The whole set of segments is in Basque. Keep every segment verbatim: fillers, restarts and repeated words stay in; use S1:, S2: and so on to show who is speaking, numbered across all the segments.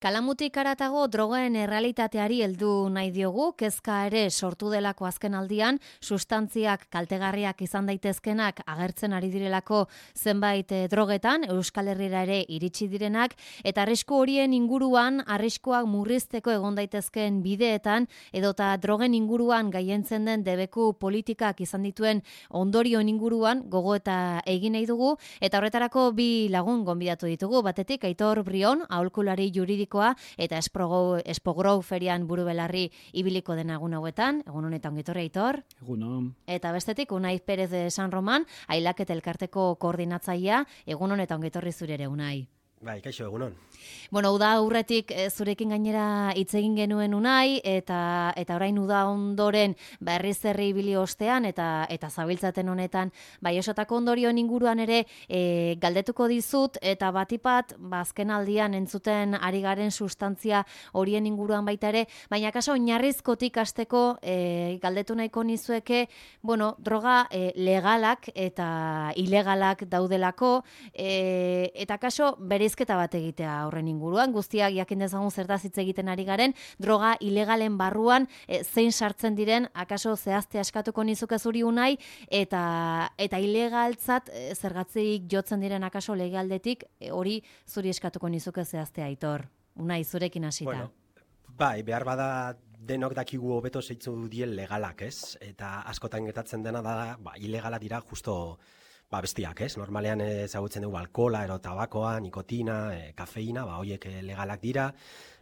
S1: Kalamutik haratago drogen errealitateari heldu nahi diogu, kezka ere sortu delako azken aldian, sustantziak kaltegarriak izan daitezkenak agertzen ari direlako zenbait drogetan, Euskal Herrira ere iritsi direnak, eta arrisku horien inguruan, arriskuak murrizteko egon daitezken bideetan, edota drogen inguruan gaientzen den debeku politikak izan dituen ondorioen inguruan, gogo eta egin nahi dugu, eta horretarako bi lagun gonbidatu ditugu, batetik Aitor Brion, aholkulari juridiko eta Espogrou ferian buru belarri ibiliko den egun hauetan, egun honetan ongitorri Aitor.
S2: Egunon.
S1: Eta bestetik Unai Pérez de San Roman, Ailak eta Elkarteko koordinatzailea, egun honetan ongitorri zure ere Unai.
S3: Bai, kaixo, egunon.
S1: Bueno, uda aurretik zurekin gainera hitz egin genuen Unai, eta eta orain uda ondoren berriz herri ibili ostean, eta eta zabiltzaten honetan, bai osotako ondorioen inguruan ere e, galdetuko dizut, eta batipat, ba, azken aldian entzuten ari garen sustantzia horien inguruan baita ere, baina kaso oinarrizkotik hasteko e, galdetu nahiko nizueke, bueno, droga e, legalak eta ilegalak daudelako, e, eta kaso bereizketa bat egitea horren inguruan, guztiak jakin dezagun zertaz hitz egiten ari garen, droga ilegalen barruan e, zein sartzen diren, akaso zehazte askatuko nizuke zuri Unai, eta eta ilegaltzat e, zergatzeik jotzen diren akaso legaldetik, e, hori zuri eskatuko nizuke zehazte Aitor. Unai, zurekin hasita.
S3: Bueno, bai, behar bada denok dakigu hobeto zeitzu dien legalak, ez? Eta askotan gertatzen dena da, ba, ilegala dira justo ba, bestiak, ez? Normalean ezagutzen dugu alkohola, ero tabakoa, nikotina, e, kafeina, ba, horiek legalak dira,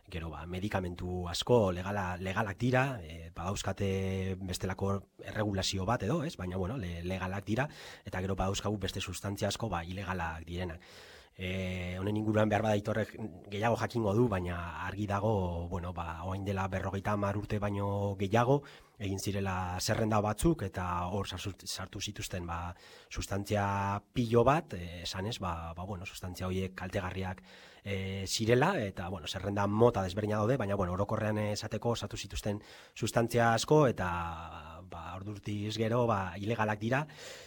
S3: gero, ba, medikamentu asko legala, legalak dira, e, ba, dauzkate bestelako erregulazio bat edo, ez? Baina, bueno, le, legalak dira, eta gero, ba, dauzkagu beste sustantzia asko, ba, ilegalak direnak. E, honen inguruan behar bada Aitorrek gehiago jakingo du, baina argi dago, bueno, ba, orain dela berrogeita hamar urte baino gehiago, egin zirela zerrenda batzuk, eta hor sartu zituzten ba, sustantzia pilo bat, e, esanez, ba, ba, bueno, sustantzia horiek kaltegarriak e, zirela, eta bueno, zerrenda mota desberdina daude, baina bueno, orokorrean esateko sartu zituzten sustantzia asko, eta ba, ordurtiz gero ba, ilegalak dira,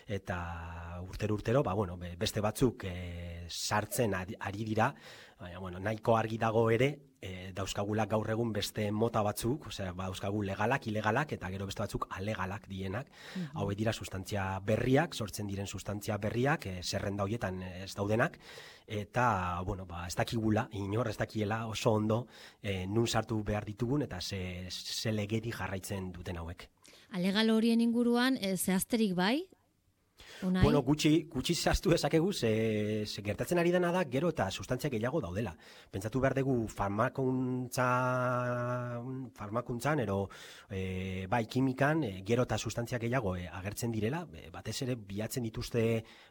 S3: eta urtero-urtero, ba, bueno, beste batzuk e, sartzen ari dira, baina bueno, nahiko argi dago ere, e, dauzkagula gaur egun beste mota batzuk, osea, ba, dauzkagu legalak, ilegalak, eta gero beste batzuk alegalak dienak. Mm-hmm. Hauek dira sustantzia berriak, sortzen diren sustantzia berriak, e, zerrenda horietan ez daudenak, eta, bueno, ba, ez dakigula, inor ez dakiela oso ondo, e, nun sartu behar ditugun, eta ze, ze legedi jarraitzen duten hauek.
S1: Alegal horien inguruan, e, zehazterik bai? Unai?
S3: Bueno, gutxi, gutxi zehaztu ezakegu, ze, ze gertatzen ari dena da, gero eta sustantzia gehiago daudela. Pentsatu behar dugu farmakuntza, farmakuntzan, ero e, bai kimikan, e, gero eta sustantzia gehiago e, agertzen direla, e, batez ere bilatzen dituzte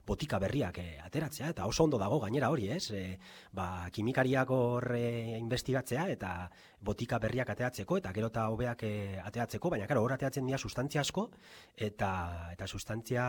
S3: botika berriak e, ateratzea, eta oso ondo dago gainera hori, ez? E, ba, kimikariak hor e, investigatzea, eta botika berriak ateratzeko, eta gero eta hobeak e, ateratzeko, baina karo, hor ateratzen dira sustantzia asko, eta, eta sustantzia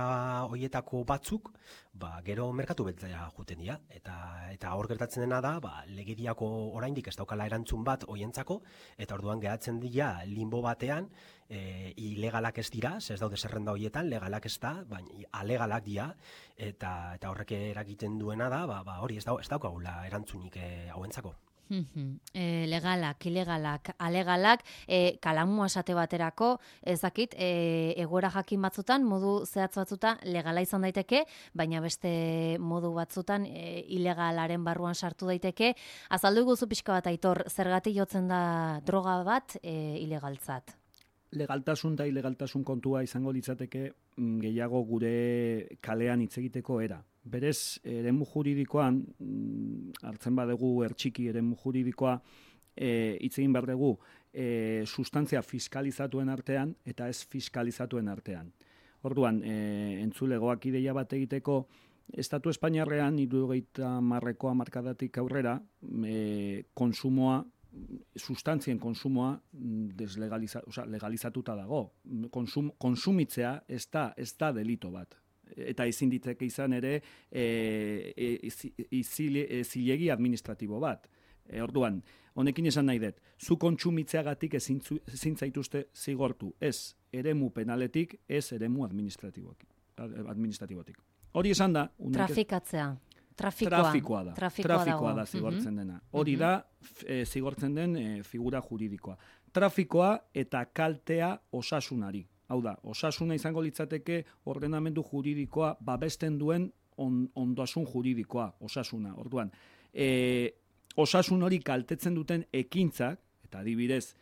S3: horietako batzuk, ba, gero merkatu beltzea juten dira, eta, eta hor gertatzen dena da, ba, legediako oraindik ez daukala erantzun bat hoientzako, eta orduan geratzen dira limbo batean, e, ilegalak ez dira, ez daude zerrenda horietan, legalak ez da, baina alegalak dira, eta, eta horrek eragiten duena da, ba, ba, hori ez, dau, ez daukagula erantzunik e, hauentzako.
S1: E, legalak, ilegalak, alegalak, e, kalamua esate baterako, ez dakit, e, egoera jakin batzutan, modu zehatz batzutan legala izan daiteke, baina beste modu batzutan e, ilegalaren barruan sartu daiteke. Azaldu guzu pixka bat Aitor, zergatik jotzen da droga bat e, ilegaltzat?
S2: Legaltasun eta ilegaltasun kontua izango litzateke gehiago gure kalean hitz egiteko era. Berez, eremu juridikoan, hartzen badugu ertxiki eremu juridikoa, e, hitz egin behar dugu, e, sustantzia fiskalizatuen artean eta ez fiskalizatuen artean. Orduan, e, entzulegoak ideia bat egiteko, Estatu Espainiarrean, hirurogeita hamarreko hamarkadatik aurrera, e, konsumoa, sustantzien konsumoa deslegaliza, oza, legalizatuta dago. Konsum, konsumitzea ez da, ez da delito bat. Eta ezin ditzake izan ere e, e, zilegi administratibo bat. E, orduan, honekin esan nahi dut, zu kontsumitzeagatik ezin, ezin zaituzte zigortu, ez eremu penaletik, ez eremu administratibotik. administratibotik. Hori esan da...
S1: Trafikatzea. Trafikoa,
S2: trafikoa da.
S1: Trafikoa,
S2: trafikoa da zigortzen dena. Hori da e, zigortzen den e, figura juridikoa. Trafikoa eta kaltea osasunari. Hau da, osasuna izango litzateke ordenamendu juridikoa babesten duen on, ondasun juridikoa, osasuna. Orduan, e, osasun hori kaltetzen duten ekintzak, eta adibidez,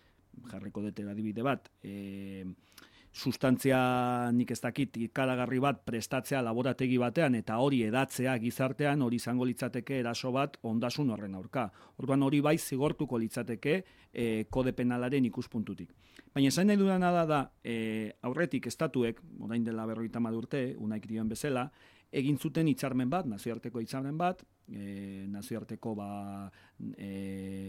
S2: jarriko dute adibide bat, e, sustantzia nik ez dakit ikaragarri bat prestatzea laborategi batean eta hori edatzea gizartean, hori izango litzateke eraso bat ondasun horren aurka. Orduan hori bai zigortuko litzateke e, kode penalaren ikuspuntutik. Baina esan nahi dudana da da, e, aurretik estatuek, orain dela berrogeita hamar urte, Unaik dioen bezala, egin zuten hitzarmen bat, nazioarteko hitzarmen bat, e, nazioarteko ba, e,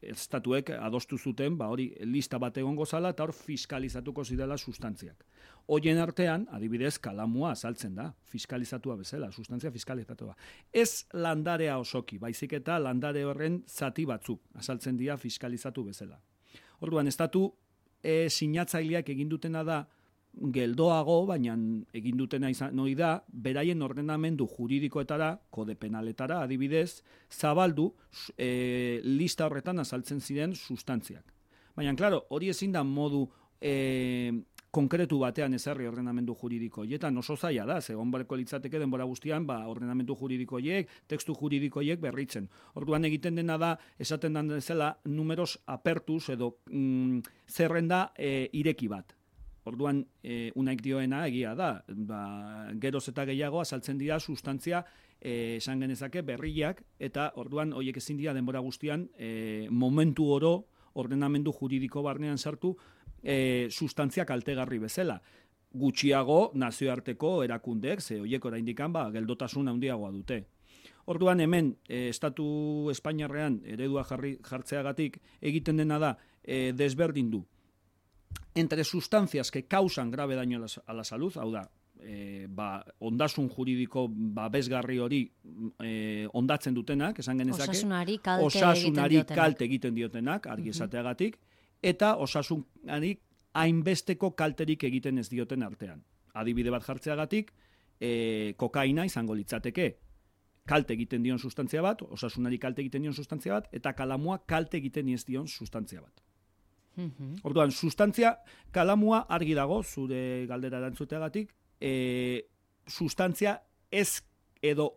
S2: estatuek adostu zuten, ba hori lista bat egongo zala eta hor fiskalizatuko zidela sustantziak. Hoien artean, adibidez, kalamua azaltzen da, fiskalizatua bezala, sustantzia fiskalizatua. Ez landarea osoki, baizik eta landare horren zati batzuk azaltzen dira fiskalizatu bezala. Orduan, estatu e, sinatzaileak egin dutena da, geldoago, baina egin dutena izan hori da, beraien ordenamendu juridikoetara, kode penaletara, adibidez, zabaldu e, lista horretan azaltzen ziren sustantziak. Baina, klaro, hori ezin da modu e, konkretu batean ezarri ordenamendu juridiko hietan, oso zaila da, zegoen barko litzateke denbora guztian, ba, ordenamendu juridiko hiek, tekstu juridiko hiek berritzen. Orduan egiten dena da, esaten den bezala, numeros apertus edo mm, zerrenda e, ireki bat. Orduan, e, Unaik dioena egia da, ba, geroz eta gehiago azaltzen dira sustantzia e, esan genezake berriak, eta orduan horiek ezin dira denbora guztian e, momentu oro ordenamendu juridiko barnean sartu e, sustantzia kaltegarri bezala. Gutxiago nazioarteko erakundeek, ze horiek oraindik ba, geldotasun handiagoa dute. Orduan hemen, e, Estatu Espainiarrean eredua jarri, jartzeagatik egiten dena da e, desberdin du. Entre sustancias que causan grave daño a la, a la salud, hau da, e, ba, ondasun juridiko babesgarri hori e, ondatzen dutenak, esan genezake,
S1: osasunari kalte,
S2: osasunari
S1: egiten,
S2: kalte egiten diotenak, argi esateagatik, eta osasunari hainbesteko kalterik egiten ez dioten artean. Adibide bat jartzeagatik, e, kokaina izango litzateke, kalte egiten dion sustantzia bat, osasunari kalte egiten dion sustantzia bat, eta kalamua kalte egiten ez dion sustantzia bat. Orduan, sustantzia, kalamua argi dago, zure galdera erantzuteagatik, e, sustantzia ez edo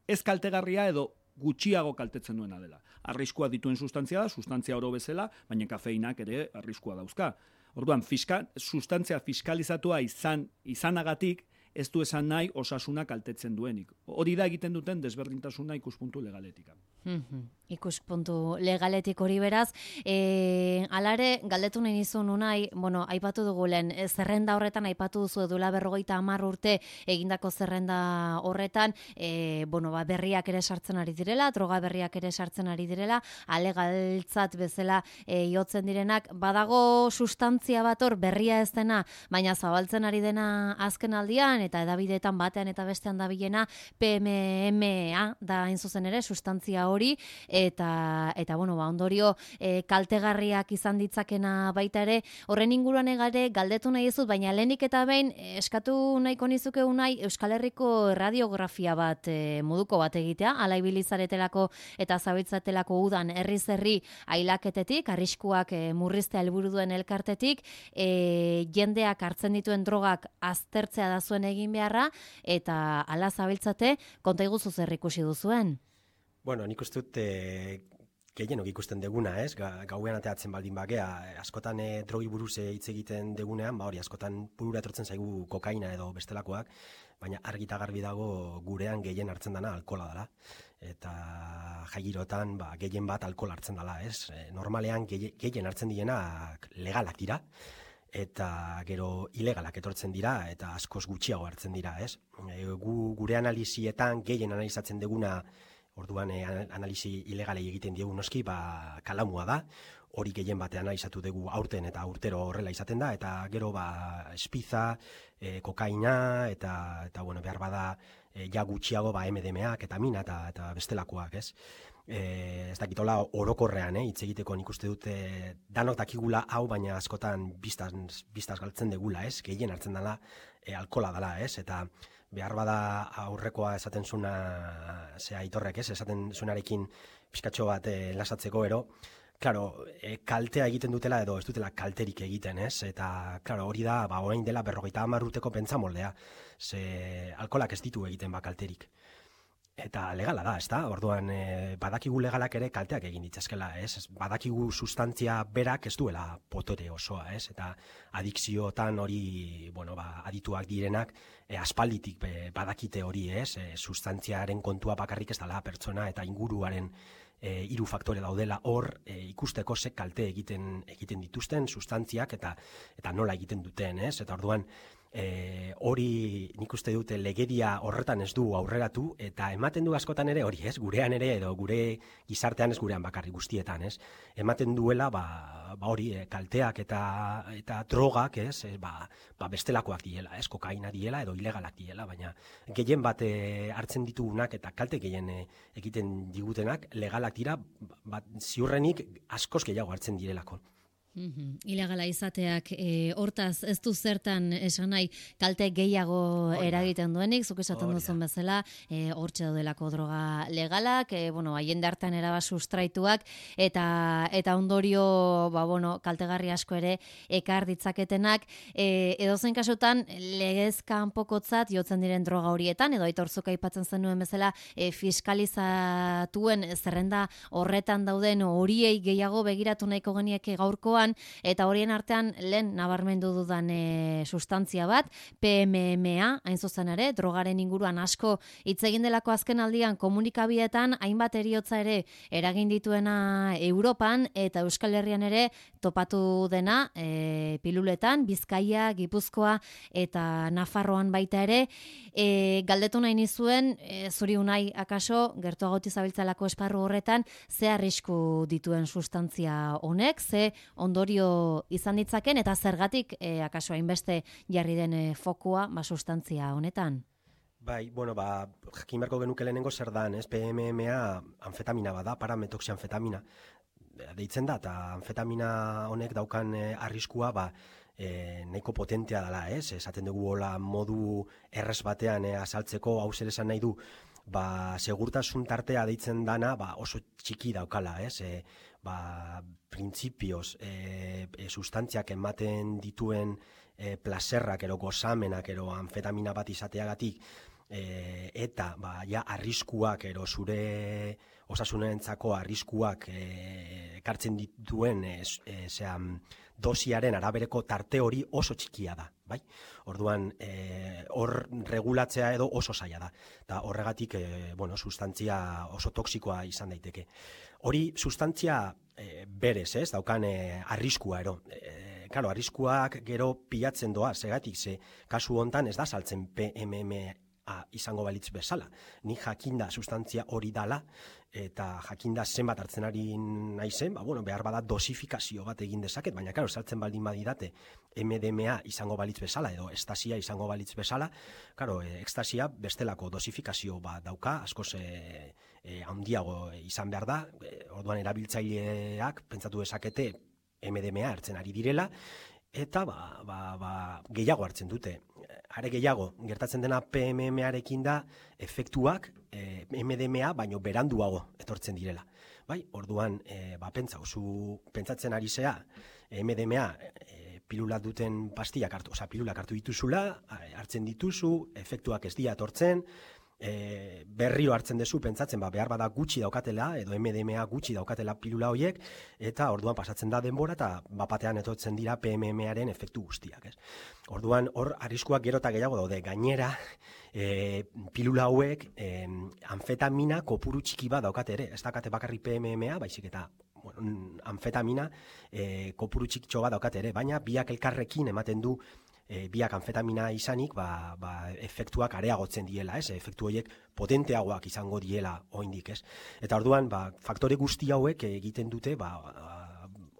S2: ez kaltegarria edo gutxiago kaltetzen duena dela. Arriskua dituen sustantzia da, sustantzia oro bezala, baina kafeinak ere arriskua dauzka. Orduan, fiska, sustantzia fiskalizatua izan izanagatik, ez du esan nahi osasuna kaltetzen duenik. Hori da egiten duten desberdintasuna ikuspuntu legaletika.
S1: Mm-hmm. Ikuspuntu legaletik hori beraz. E, alare, galdetu nahi nizun unai, bueno, aipatu dugu lehen, zerrenda horretan aipatu duzu edula berrogeita hamar urte egindako zerrenda horretan, e, bueno, ba, berriak ere sartzen ari direla, droga berriak ere sartzen ari direla, alegaltzat bezala e, jotzen direnak, badago sustantzia bat hor berria ez dena, baina zabaltzen ari dena azken aldian, eta edabideetan batean eta bestean dabilena P M M A da hain zuzen ere sustantzia hori eta eta bueno ba ondorio e, kaltegarriak izan ditzakena baita ere horren inguruan egare galdetu nahi dizut baina lehenik eta behin e, eskatu nahiko nizuke unai Euskal Herriko radiografia bat e, moduko bat egitea ala ibilizaretelako eta zabiltzatelako udan herriz herri ailaketetik arriskuak e, murriztea helburu duen elkartetik e, jendeak hartzen dituen drogak aztertzea da zuen egin beharra, eta ala zabiltzate, konta iguzu zer ikusi duzuen?
S3: Bueno, nik uste dut e, gehienok ikusten deguna, ez? Ga, gauean ateatzen baldin bakea, askotan e, drogi buruz hitz egiten degunean, ba hori, askotan burura etortzen zaigu kokaina edo bestelakoak, baina argita garbi dago gurean gehien hartzen dana alkohola dela. Eta jaigirotan ba, gehien bat alkohol hartzen dela, ez? E, normalean gehien hartzen dienak legalak dira, eta gero ilegalak etortzen dira eta askoz gutxiago hartzen dira, ez? E, gu, gure analizietan gehien analizatzen deguna, orduan e, analisi ilegalei egiten diegu noski, ba, kalamua da, hori gehien batean analizatu dugu aurten eta urtero horrela izaten da, eta gero ba, espiza, e, kokaina, eta, eta bueno, behar bada e, ja gutxiago ba, M D M A, ketamina eta, eta bestelakoak, ez? E, ez dakitola orokorrean, hitz eh, egiteko nik uste dute danok dakigula hau, baina askotan biztaz, biztaz galtzen degula, ez? Gehien hartzen dela e, alkola dela, ez? Eta behar bada aurrekoa esaten zuna, ze Aitorrek, ez, esaten zunarekin pizkatxo bat eh, lasatzeko ero, Claro, e, kaltea egiten dutela edo ez dutela kalterik egiten, ez? Eta, claro, hori da, ba, orain dela berrogeita hamar urteko pentsamoldea. Ze alkolak ez ditu egiten ba kalterik. Eta legala da, ez da? Orduan, e, badakigu legalak ere kalteak egin ditzazkela, ez? Badakigu sustantzia berak ez duela potore osoa, ez? Eta adikziotan hori, bueno, ba, adituak direnak, e, aspalditik be, badakite hori, ez? E, sustantziaren kontua bakarrik ez dela pertsona eta inguruaren E, hiru faktore daudela hor e, ikusteko ze kalte egiten egiten dituzten sustantziak eta eta nola egiten duten, ez? Eta orduan e, hori nik uste dute legedia horretan ez du aurreratu eta ematen du askotan ere hori, ez? Gurean ere edo gure gizartean ez gurean bakarrik guztietan, ez? Ematen duela ba, ba hori e, kalteak eta eta drogak, ez? E, ba, ba bestelakoak diela, ez? Kokaina diela edo ilegalak diela, baina gehien bat e, hartzen ditugunak eta kalte gehien e, egiten digutenak legalak dira, bat ziurrenik askoz gehiago hartzen direlako.
S1: Mm-hmm. Ilegala izateak, e, hortaz ez du zertan esan nahi kalte gehiago eragiten duenik, zuk esaten duzun bezala, e, hortxe daudelako droga legalak, e, bueno, haien dartan eraba sustraituak, eta eta ondorio, ba, bueno, kaltegarri asko ere ekar ditzaketenak, e, edozein kasutan legez kanpokotzat jotzen diren droga horietan, edo Aitortzuk aipatzen zenuen bezala, e, fiskalizatuen zerrenda horretan dauden horiei gehiago begiratu nahiko genieke gaurkoan, eta horien artean lehen nabarmendu dudan e, sustantzia bat, P M M A, hain zuzen ere, drogaren inguruan asko hitz egin delako azken aldian komunikabietan, hainbat heriotza ere eragin dituena Europan, eta Euskal Herrian ere topatu dena e, piluletan, Bizkaia, Gipuzkoa eta Nafarroan baita ere, e, galdetu nahi nizuen, e, zuri unai akaso, gertuago zabiltzalako esparru horretan, ze arrisku dituen sustantzia honek, ze ondorio izan ditzaken, eta zergatik e, akaso hainbeste jarri den e, fokua ba, sustantzia honetan?
S3: Bai, bueno, ba, jakin beharko genuke lehenengo zer dan, ez? P M M A anfetamina bada, parametoxianfetamina deitzen da, eta anfetamina honek daukan e, arriskua, ba, e, nahiko potentea dela, ez? Esaten dugu hola modu errez batean e, azaltzeko, hau zer esan nahi du, ba, segurtasun tartea deitzen dana, ba, oso txiki daukala, ez? E, ba, printzipioz, e, e, sustantziak ematen dituen e, placerrak, ero gozamenak, ero anfetamina bat izateagatik, e, eta, ba, ja, arriskuak, ero zure osasunarentzako arriskuak e, ekartzen dituen, e, e, zean, dosiaren arabereko tarte hori oso txikia da, bai? Orduan, e, hor regulatzea edo oso zaila da. Eta horregatik, e, bueno, sustantzia oso toksikoa izan daiteke. Hori sustantzia e, berez, ez, daukan e, arriskua ero. E, claro, arriskuak gero pilatzen doa, segatik, ze kasu hontan ez da saltzen P M M A izango balitz bezala. Ni jakinda sustantzia hori dala, eta jakinda zenbat hartzen ari naizen, ba, bueno, behar bada dosifikazio bat egin dezaket, baina, claro, saltzen baldin badidate M D M A izango balitz bezala, edo estasia izango balitz bezala, claro, e, ekstasia bestelako dosifikazio bat dauka, askoz e, e, handiago izan behar da, e, orduan erabiltzaileak pentsatu dezakete M D M A hartzen ari direla, eta ba, ba, ba, gehiago hartzen dute. Are gehiago, gertatzen dena P M M arekin da efektuak e, M D M A baino beranduago etortzen direla. Bai, orduan, e, ba, pentsa, zu pentsatzen ari zea, M D M A e, pilula duten pastillak hartu, oza, pilulak hartu dituzula, hartzen dituzu, efektuak ez dira etortzen, e, berrio hartzen dezu pentsatzen, ba, behar bada gutxi daukatela, edo M D M A gutxi daukatela pilula horiek, eta orduan pasatzen da denbora, eta bapatean etortzen dira P M M aren efektu guztiak, ez? Orduan, hor, arriskuak gero eta gehiago daude, gainera, e, pilula hauek, e, anfetamina kopuru txiki bat daukate ere, ez dakate bakarrik P M M A, baizik eta bueno, anfetamina e, kopuru txikitxo bat daukate ere, baina biak elkarrekin ematen du E, biak anfetamina izanik, ba, ba, efektuak areagotzen diela, ez? Efektu horiek potenteagoak izango diela oraindik, ez? Eta orduan, ba, faktore guzti hauek egiten dute, ba,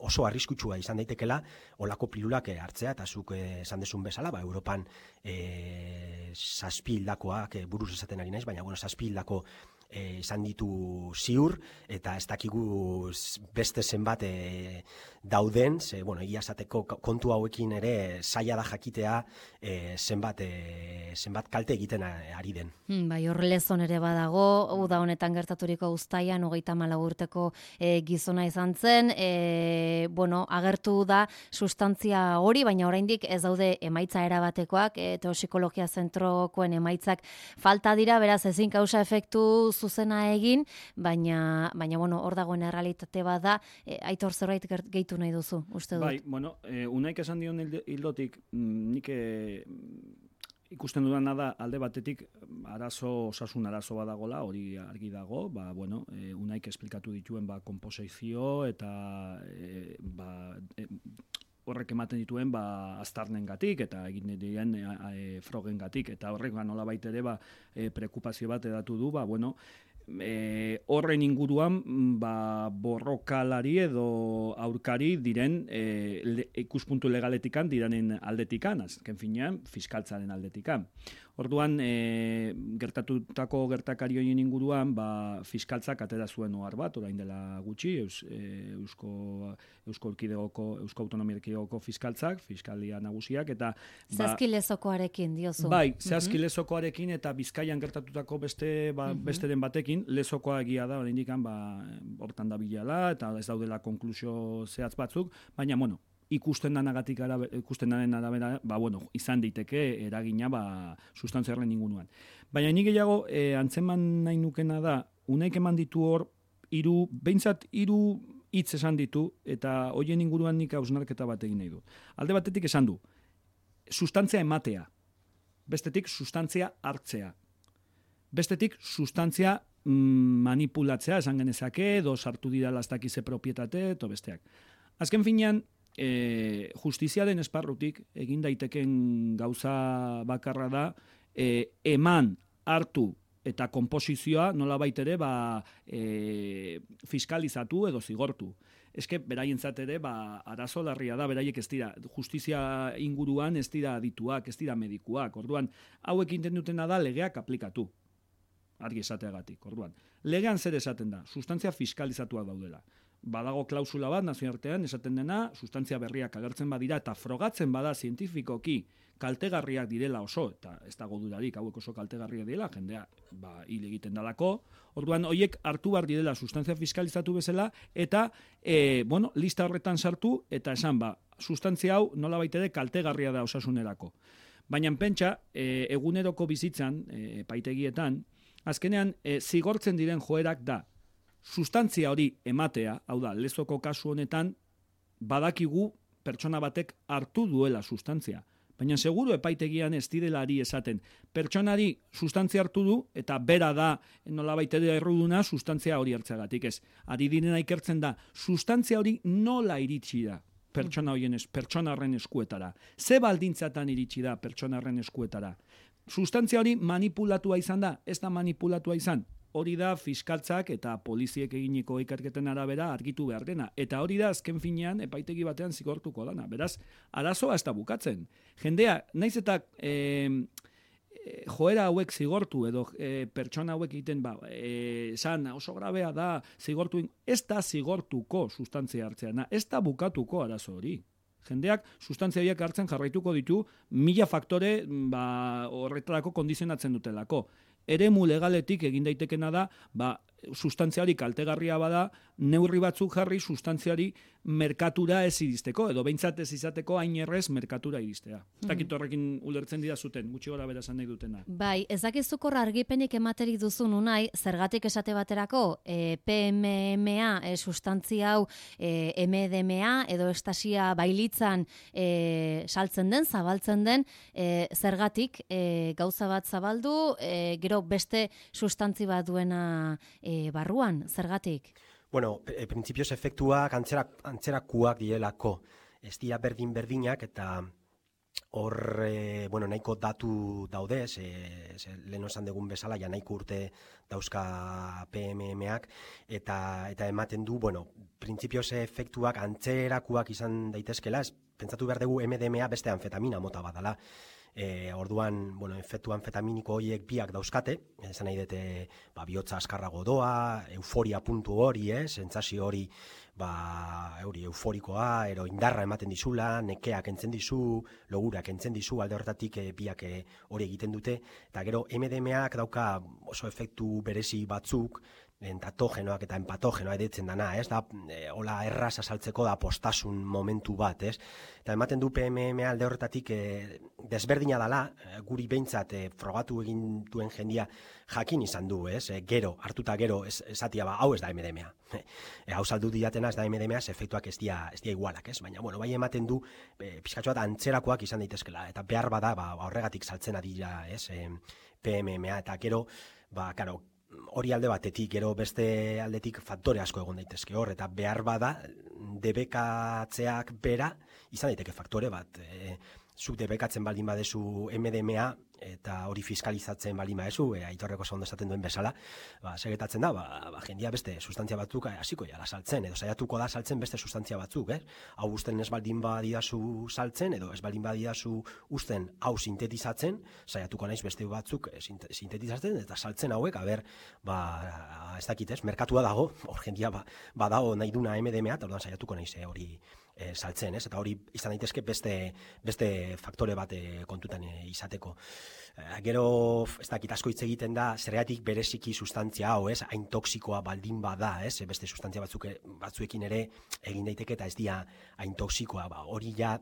S3: oso arriskutsua izan daitekela olako pilulak hartzea, eta zuk esan desun bezala, ba, Europan e, zazpi hildakoak, e, buruz esaten ari naiz, baina bueno, zazpi hildako e, izan ditu ziur, eta ez dakigu beste zenbat e, dauden, ze, bueno, egia esateko kontu hauekin ere zaila da jakitea e, zenbat, e, zenbat kalte egiten ari den.
S1: Hmm, bai, hor lezon ere badago, uda honetan gertaturiko uztaian, hogeita hamalau urteko e, gizona izan zen, e, bueno, agertu da sustantzia hori, baina oraindik ez daude emaitza erabatekoak, e, toxikologia zentrokoen emaitzak falta dira, beraz ezin kausa efektu zuzena egin, baina, baina bueno, hor dagoen errealitate bat da, e, Aitor zerbait gehitu nahi duzu, uste dut.
S2: Bai, bueno, e, unaik esan dion hildotik, nik e, ikusten dudana da alde batetik arazo, osasun arazo badagola, hori argi dago, ba, bueno, e, unaik esplikatu dituen ba, komposizio eta e, ba, e, horrek ematen dituen ba, aztarnengatik eta egin diren e, e, frogengatik, eta horrek ba, nolabait ere ba, e, preokupazio bat edatu du, ba, bueno, E, horren inguruan ba, borrokalari edo aurkari diren e, le, ikuspuntu legaletikan diranen aldetikan, azken finean fiskaltzaren aldetikan. Orduan, e, gertatutako gertakari horien inguruan, ba, fiskaltzak atera zuen ohar bat, orain dela gutxi, eus, e, Eusko, Eusko, Erkidegoko, Eusko Autonomia Erkidegoko fiskaltzak, fiskalia nagusiak, eta... Ba,
S1: Zehazki lezokoarekin, diozu.
S2: Bai, zehazki mm-hmm. lezokoarekin eta Bizkaian gertatutako beste, ba, mm-hmm. besteren batekin, lezokoa egia da, oraindik ba, hortan da bilala, eta ez daudela konklusio zehatz batzuk, baina, bueno, ikusten danagatik arabe, ikusten daren arabera, ba, bueno, izan daiteke eragina ba, sustantzia horren inguruan. Baina ni gehiago e, antzeman nahi nukena da, unaik eman ditu hor, hiru, behintzat hiru hitz esan ditu, eta hoien inguruan nik hausnarketa bat egin nahi du. Alde batetik esan du, sustantzia ematea, bestetik sustantzia hartzea, bestetik sustantzia mm, manipulatzea, esan genezake, edo sartu dira lastak ize propietate, eto besteak. Azken finean, E, justiziaren esparrutik egin daiteken gauza bakarra da e, eman, hartu eta konposizioa nolabait ere ba, e, fiskalizatu edo zigortu. Eske beraientzat ere ba, arazo larria da, beraiek ez dira, justizia inguruan ez dira adituak, ez dira medikuak. Orduan, hauek inten dutena da legeak aplikatu. Argi esateagatik, orduan. Legean zer esaten da, sustantzia fiskalizatuak daudela. Badago klausula bat nazioartean esaten dena, sustantzia berriak agertzen badira eta frogatzen bada zientifikoki kaltegarriak direla oso, eta ez dago dudarik hauek oso kaltegarriak direla, jendea ba, hil egiten dalako, orduan horiek hartu behar direla sustantzia fiskalizatu bezala, eta e, bueno, lista horretan sartu, eta esan ba, sustantzia hau nola baitere kaltegarria da osasunerako. Baina pentsa, e, eguneroko bizitzan, e, paitegietan, azkenean e, zigortzen diren joerak da, sustantzia hori ematea, hau da, lezoko kasu honetan, badakigu pertsona batek hartu duela sustantzia. Baina seguru epaitegian ez direlari esaten. Pertsonari sustantzia hartu du, eta bera da, nolabait ere erruduna, sustantzia hori hartzagatik ez. Ari direna ikertzen da, sustantzia hori nola iritsi da pertsona horien es, pertsona horren eskuetara. Ze baldintzatan iritsi da pertsona horren eskuetara. Sustantzia hori manipulatua izan da, ez da manipulatua izan. Hori da fiskaltzak eta poliziek eginiko ikerketen arabera argitu behar dena. Eta hori da azken finean epaitegi batean zigortuko dana. Beraz, arazoa ez da bukatzen. Jendea, naiz eta e, joera hauek zigortu edo e, pertsona hauek egiten ba, e, esan oso grabea da zigortu, ez da zigortuko sustantzia hartzeana, ez da bukatuko arazo hori. Jendeak sustantzia horiek hartzen jarraituko ditu mila faktore ba, horretarako kondizionatzen dutelako. Eremu legaletik egin daitekena da, ba, sustantziari kaltegarria bada, neurri batzuk jarri sustantziari merkatura ez iristeko, edo behintzat ez izateko hain errez merkatura iristea. Ez dakit horrekin ulertzen dira zuten, gutxi gora bera esan nahi dutena.
S1: Bai, ez dakizukorra argipenik ematerik duzun unai, zergatik esate baterako, e, P M M A e, sustantzia hau e, M D M A edo estasia bailitzan e, saltzen den, zabaltzen den, e, zergatik e, gauza bat zabaldu, e, gero beste sustantzi bat duena e, barruan, zergatik?
S3: Bueno, e, printzipioz efektuak antzerak, antzerakuak dielako. Ez dira berdin-berdinak eta hor, e, bueno, nahiko datu daude, ze, ze, lehen esan dugun bezala, ja nahiko urte dauzka P M M ak, eta, eta ematen du, bueno, printzipioz efektuak antzerakuak izan daitezkela, ez, pentsatu behar dugu M D M A beste anfetamina mota badala. E, orduan, bueno, efektu anfetaminiko horiek biak dauzkate, esan nahi dute, ba, bihotza askarrago doa, euforia puntu hori, eh, sentsazio hori, ba, hori euforikoa, ero indarra ematen dizula, nekea kentzen dizu, logura kentzen dizu, alde horretatik e, biak e, hori egiten dute, eta gero M D M Ak dauka oso efektu berezi batzuk, entatogenoak eta empatogenoa editzen dana, ez da, e, hola erraz azaltzeko da postasun momentu bat, ez? Eta ematen du P M M A alde horretatik e, desberdina dela, e, guri behintzat e, frogatu egin duen jendia jakin izan du, ez? E, gero, hartuta gero, ez, esatia ba, hau ez da M D M A. E, hau saldu diatena ez da M D M A, efektuak ez dia, ez dia igualak, ez? Baina, bueno, bai ematen du, e, pizkatxo bat antzerakoak izan daitezkela, eta behar bada, ba, horregatik saltzen adira, ez? E, P M M A, eta gero, ba, karo, hori alde batetik, gero beste aldetik faktore asko egon daitezke hor, eta behar bada debekatzeak bera izan daiteke faktore bat. E, zuk debekatzen baldin badezu M D M A eta hori fiskalizatzen baldin badezu, e, Aitorreko ondo esaten duen bezala, ba, segetatzen da, ba, ba, jendia beste sustantzia batzuk hasiko jala saltzen, edo saiatuko da saltzen beste sustantzia batzuk, eh? Hau usten ez baldin badidazu saltzen, edo ez baldin badidazu usten hau sintetizatzen, saiatuko naiz beste batzuk e, sintetizatzen, eta saltzen hauek, aber, ba, ez dakit ez, merkatua dago, hor jendia ba, badago nahi duna M D M A, eta orduan saiatuko naiz eh, hori E, saltzen, ez? Eta hori izan daitezke beste, beste faktore bat e, kontutan e, izateko. E, gero, ez dakit asko hitz egiten da, zergatik bereziki sustantzia hau, ez? Hain toksikoa baldin bada, ez? Beste sustantzia batzuk, batzuekin ere egin daiteke eta ez dia hain toksikoa. Ba, hori ja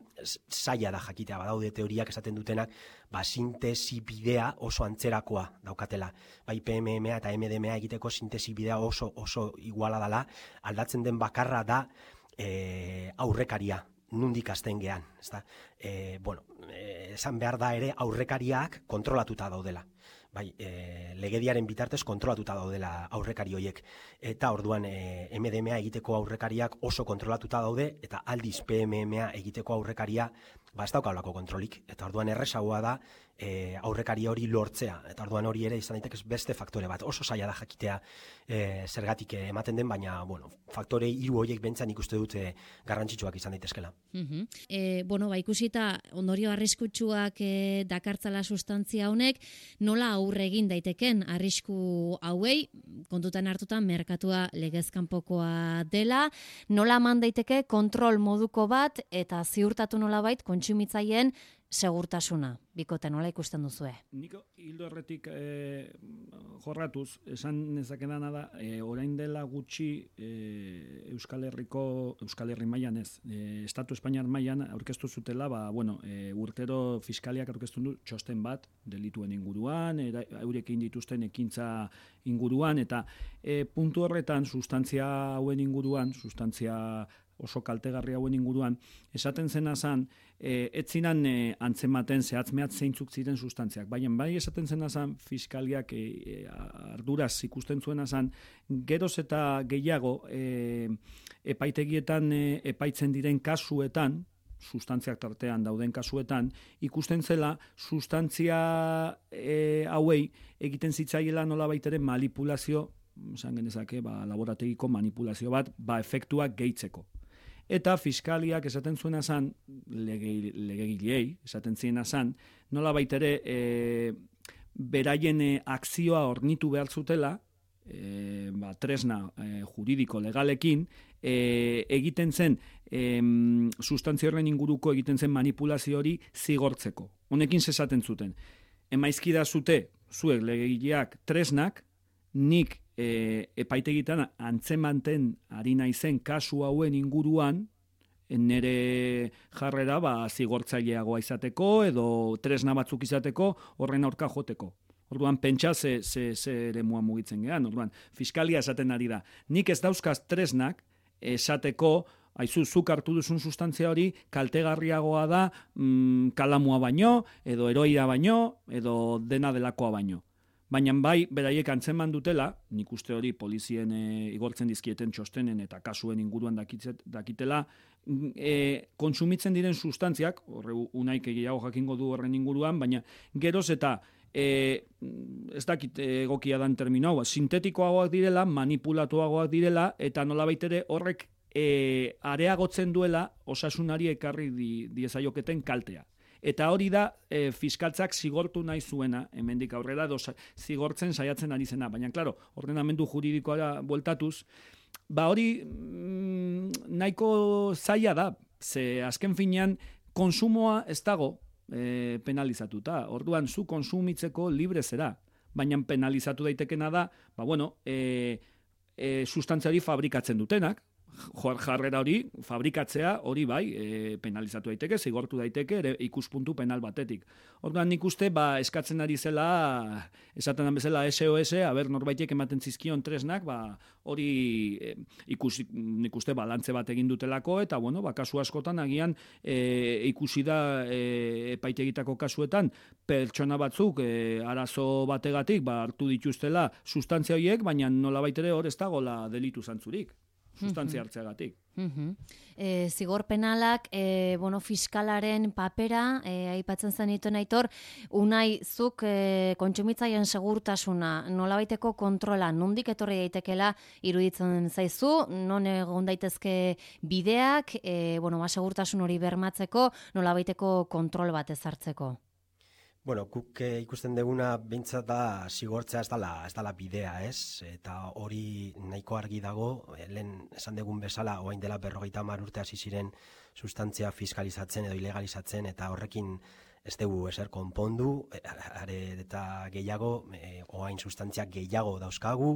S3: zaila da jakitea, badaude teoriak esaten dutenak, ba, sintesi bidea oso antzerakoa daukatela. Bai P M M A eta M D M A egiteko sintesi bidea oso, oso iguala dela, aldatzen den bakarra da, E, aurrekaria, nundik hasten gean, ezta? E, bueno, e, esan behar da ere aurrekariak kontrolatuta daudela. Bai, e, legediaren bitartez kontrolatuta daudela aurrekari horiek. Eta orduan e, M D M A egiteko aurrekariak oso kontrolatuta daude, eta aldiz P M M A egiteko aurrekaria ba ez daukalako kontrolik. Eta orduan erresagoa da e, aurrekari hori lortzea. Eta orduan hori ere izan daiteke beste faktore bat. Oso zaila da jakitea e, zergatik ematen den, baina bueno, faktore hiru horiek bentzan ikuste dute garrantzitsuak izan daitezkela.
S4: Uh-huh. E, bueno, ba, ikusita ondorio arriskutsuak e, dakartzala sustantzia honek, nola aurre egin daiteken arrisku hauei, kontutan hartutan merkatua legezkanpokoa dela, nola eman daiteke kontrol moduko bat eta ziurtatu nolabait kontsumitzaileen segurtasuna. Bikote, nola ikusten duzue?
S2: Niko, hildo horretik e, jorratuz, esan nezakedana da, e, orain dela gutxi e, Euskal Herriko, Euskal Herri mailan ez, e, Estatu Espainiar mailan aurkeztu zutela, ba, bueno, e, urtero fiskaliak aurkeztu du txosten bat, delituen inguruan, eurekin dituzten ekintza inguruan, eta e, puntu horretan, sustantzia hauen inguruan, sustantzia oso kaltegarri hauen inguruan, esaten zena zan, e, ez zinan e, antzematen zehatz-mehatz zeintzuk ziren sustantziak. Baina bai esaten zena zan, fiskaliak e, e, arduraz ikusten zuena zan, geroz eta gehiago e, epaitegietan e, epaitzen diren kasuetan, sustantziak tartean dauden kasuetan, ikusten zela sustantzia e, hauei egiten zitzaiela nolabait ere manipulazio, esan genezake, ba, laborategiko manipulazio bat, ba, efektuak gehitzeko. Eta fiskaliak esaten zuena zan, legegilei, esaten ziena zan, nola baitere e, beraien e, akzioa ornitu behar zutela, e, ba, tresna e, juridiko legalekin, e, egiten zen, e, sustantzia horren inguruko egiten zen manipulazio hori zigortzeko. Honekin zesaten zuten. Emaizkida zute, zuek legegileak tresnak, nik E, epaitegitan antzemanten ari naizen kasu hauen inguruan nire jarrera ba, zigortzaileagoa izateko edo tresna batzuk izateko horren aurka joteko. Orduan pentsa ze, ze, ze eremua mugitzen gehan. Orduan fiskalia esaten ari da. Nik ez dauzkaz tresnak esateko aizu, zuk hartu duzun sustantzia hori kaltegarriagoa da mm, kalamua baino, edo heroia baino, edo dena delakoa baino. Baina bai, beraiek antzeman dutela, nik uste hori polizien e, igortzen dizkieten txostenen eta kasuen inguruan dakitzet, dakitela, e, kontsumitzen diren sustantziak, horre unaik egiago jakingo du horren inguruan, baina geroz eta e, ez dakit egokia dan termino hau, sintetikoagoak direla, manipulatuagoak direla, eta nolabait ere horrek e, areagotzen duela osasunari ekarri di, diezaioketen kaltea. Eta hori da e, fiskaltzak zigortu nahi zuena, hemendik aurrera, edo zigortzen saiatzen ari zena. Baina, klaro, ordenamendu juridikoa bueltatuz, ba hori mm, nahiko zaila da, ze azken finean konsumoa ez dago e, penalizatuta. Orduan, zu konsumitzeko libre zera. Baina penalizatu daitekena da, ba bueno, e, e, sustantzia hori fabrikatzen dutenak, jarrera hori, fabrikatzea hori bai, e, penalizatu daiteke, zigortu daiteke, ere ikuspuntu penal batetik. Orduan nik uste, ba, eskatzen ari zela, esaten dan bezala S O S, haber norbaitek ematen zizkion tresnak, ba, hori e, ikusi, nik uste balantze bat egin dutelako, eta bueno, ba, kasu askotan agian e, ikusi da e, epaitegitako kasuetan, pertsona batzuk e, arazo bategatik, ba, hartu dituztela sustantzia horiek, baina nolabait ere hor ez dagoela delitu zantzurik. Sustantzia hartzeagatik.
S1: Uh-huh. E, zigor penalak, e, bueno, fiskalaren papera, e, aipatzen zen dituen Aitor, Unai, zuk e, kontsumitzaien segurtasuna, nolabaiteko kontrola, nondik etorri daitekela iruditzen zaizu, non egon daitezke bideak, e, bueno, ba, segurtasun hori bermatzeko, nolabaiteko kontrol bat ezartzeko?
S3: Bueno, guk eh, ikusten deguna behintzat da zigortzea ez dala, ez dala bidea, ez? Eta hori nahiko argi dago, eh, lehen esan degun bezala, oain dela berrogeita hamar urte hasi ziren sustantzia fiskalizatzen edo ilegalizatzen, eta horrekin ez dugu ezer konpondu, are eta gehiago, eh, oain sustantzia gehiago dauzkagu,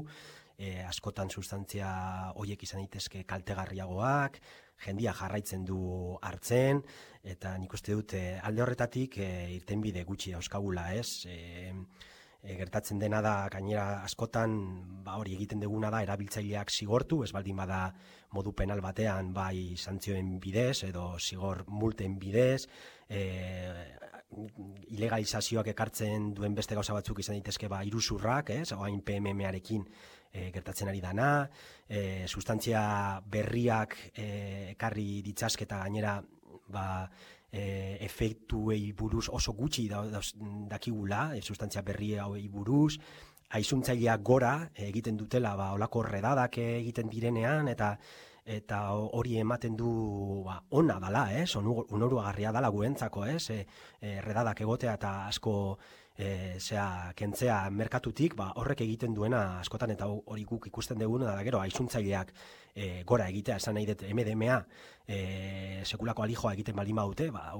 S3: eh, askotan sustantzia horiek izan daitezke kaltegarriagoak, jendia jarraitzen du hartzen, eta nik uste dut e, alde horretatik e, irtenbide gutxi dauzkagula, ez? E, e, gertatzen dena da, gainera askotan, ba hori egiten duguna da, erabiltzaileak zigortu, ez baldin bada modu penal batean, bai santzioen bidez, edo zigor multen bidez, e, ilegalizazioak ekartzen duen beste gauza batzuk izan daitezke ba iruzurrak, ez? Oain P M M-arekin e, gertatzen ari dana, e, sustantzia berriak e, ekarri ditzazketa gainera ba, e, efektuei buruz oso gutxi da, da, dakigula, e, sustantzia berri hauei buruz, aizuntzaileak gora egiten dutela ba, olako redadak egiten direnean, eta eta hori ematen du ba, ona dala, ez? Onoruagarria dala guentzako, ez? E, e, redadak egotea eta asko e, zea, kentzea merkatutik, ba, horrek egiten duena askotan, eta hori guk ikusten duguna da gero, aizuntzaileak e, gora egitea, esan nahi dut M D M A e, sekulako alijoa egiten baldin badute, ba,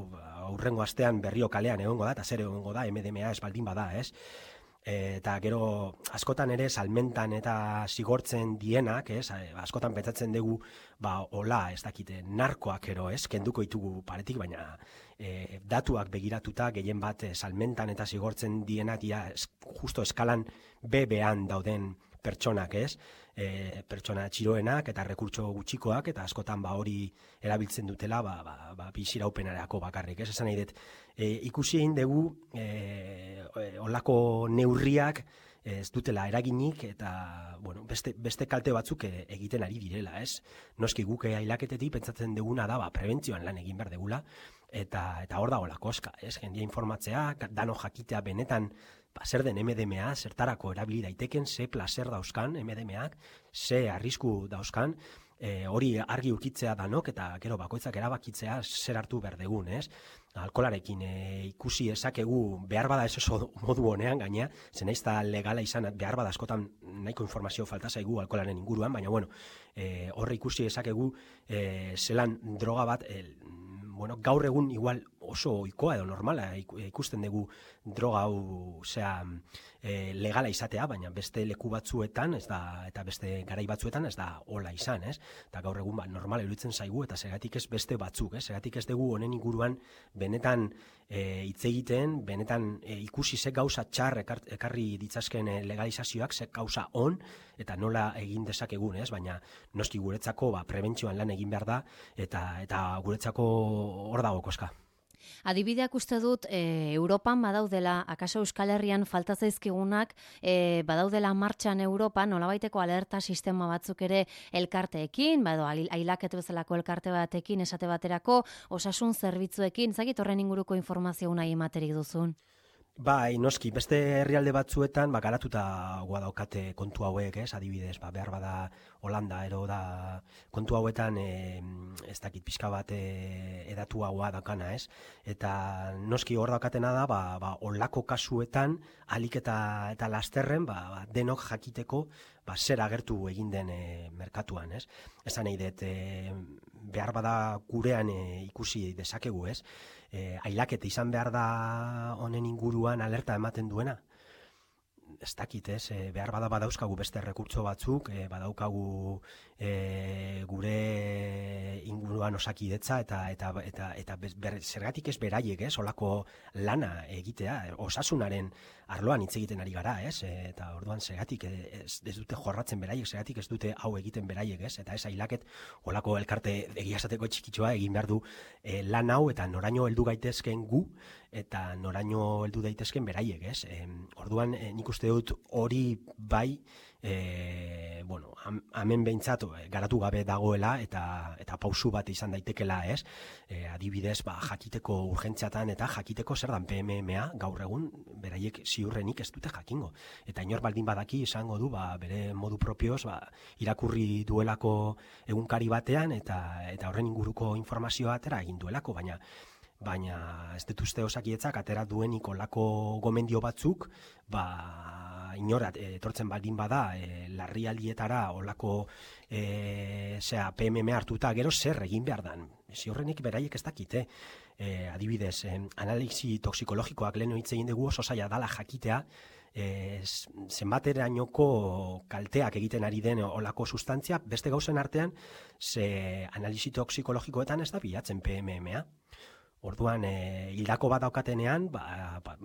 S3: aurrengo astean berrio kalean egongo da, eta zer egongo da M D M A ez baldin bada, ez? Eta gero askotan ere salmentan eta zigortzen dienak, ez? Askotan pentsatzen dugu ba hola, ez dakite, narkoak ero, ez? Kenduko ditugu paretik, baina e, datuak begiratuta gehien bat e, salmentan eta zigortzen dienak dira es, justo eskalan B B-an dauden pertsonak, ez? E, pertsona txiroenak eta rekurtso gutxikoak, eta askotan ba hori erabiltzen dutela ba, ba, ba biziraupenerako bakarrik, ez? Esan nahi dut, e, ikusi egin dugu e, olako neurriak ez dutela eraginik, eta bueno, beste, beste kalte batzuk egiten ari direla, ez? Noski guk ailaketetik pentsatzen duguna da ba, prebentzioan lan egin behar degula, eta eta hor dago la koska, ez? Jendia informatzea, dano jakitea benetan ba, zer den M D M A, zertarako erabili daiteken, ze placer dauzkan M D M A, ze arrisku dauzkan, e, hori argi ukitzea danok, eta gero bakoitzak erabakitzea zer hartu behar degun, ez? Alkolarekin e, ikusi ezakegu behar bada ez oso modu honean gaina, zen ez da legala izan, behar bada askotan nahiko informazio falta zaigu alkolaren inguruan, baina bueno, e, horre ikusi ezakegu e, zelan droga bat, e, bueno, gaur egun igual oso ohikoa edo normala ikusten dugu droga hau zea e, legala izatea, baina beste leku batzuetan ez da, eta beste garai batzuetan ez da hola izan, ez? Eta gaur egun ba, normala iruditzen zaigu, eta zergatik ez beste batzuk, ez? Zergatik ez dugu honen inguruan benetan e, hitz egiten, benetan e, ikusi ze gauza txar ekar, ekarri ditzazken e, legalizazioak, ze gauza on, eta nola egin dezakegun, ez? Baina noski guretzako ba, prebentzioan lan egin behar da, eta, eta guretzako hor dago koska.
S1: Adibideak uste dut, e, Europan badaudela, akaso Euskal Herrian falta zaizkigunak, e, badaudela martxan Europan, nolabaiteko alerta sistema batzuk ere elkarteekin, bado, ailaket bezalako elkarte batekin, esate baterako, osasun zerbitzuekin, zagit horren inguruko informazio nahi ematerik duzun?
S3: Bai, noski, beste herrialde batzuetan ba, garatuta goa daukate kontu hauek, ez, adibidez, ba, behar bada Holanda, ero da kontu hauetan e, ez dakit pixka bat e, edatu haua daukana, ez, eta noski hor daukatena da, ba, ba, olako kasuetan, alik eta, eta lasterren, ba, ba, denok jakiteko, ba, zer agertu egin den e, merkatuan, ez, esan nahi dut, e, behar bada gurean e, ikusi dezakegu, ez, E, ailaketa izan behar da honen inguruan alerta ematen duena. Ez dakit, ez, e, behar bada badauzkagu beste rekurtso batzuk, e, badaukagu e, gure inguruan osakidetza eta eta eta eta ber, zergatik ez beraiek, ez, olako lana egitea, osasunaren arloan hitz egiten ari gara, ez, e, eta orduan zergatik ez, ez dute jorratzen beraiek, zergatik ez dute hau egiten beraiek, ez, eta ez ailaket olako elkarte egia esateko txikitxoa egin behar du e, lan hau eta noraino heldu gaitezken gu eta noraino heldu daitezken beraiek, ez. E, orduan e, nik uste dut hori bai, e, bueno, hemen behintzat garatu gabe dagoela eta eta pausu bat izan daitekela, ez. E, adibidez, ba, jakiteko urgentziatan eta jakiteko zer dan P M M A gaur egun beraiek ziurrenik ez dute jakingo. Eta inor baldin badaki izango du, ba, bere modu propioz, ba, irakurri duelako egunkari batean eta eta horren inguruko informazioa atera egin duelako, baina baina ez dut uste osakidetzak atera duenik olako gomendio batzuk, ba, inorat, etortzen baldin bada, e, larrialdietara olako e, zera, P M M hartuta, gero zer egin behar dan. Ziurrenik beraiek ez dakite. E, adibidez, e, analisi toxikologikoak lehen hitz egin dugu oso zaila dala jakitea, e, zenbaterainoko kalteak egiten ari den olako sustantzia, beste gauzen artean, ze analisi toxikologikoetan ez da bilatzen P M M A. Orduan, e, hildako bat daukatenean, ba, ba,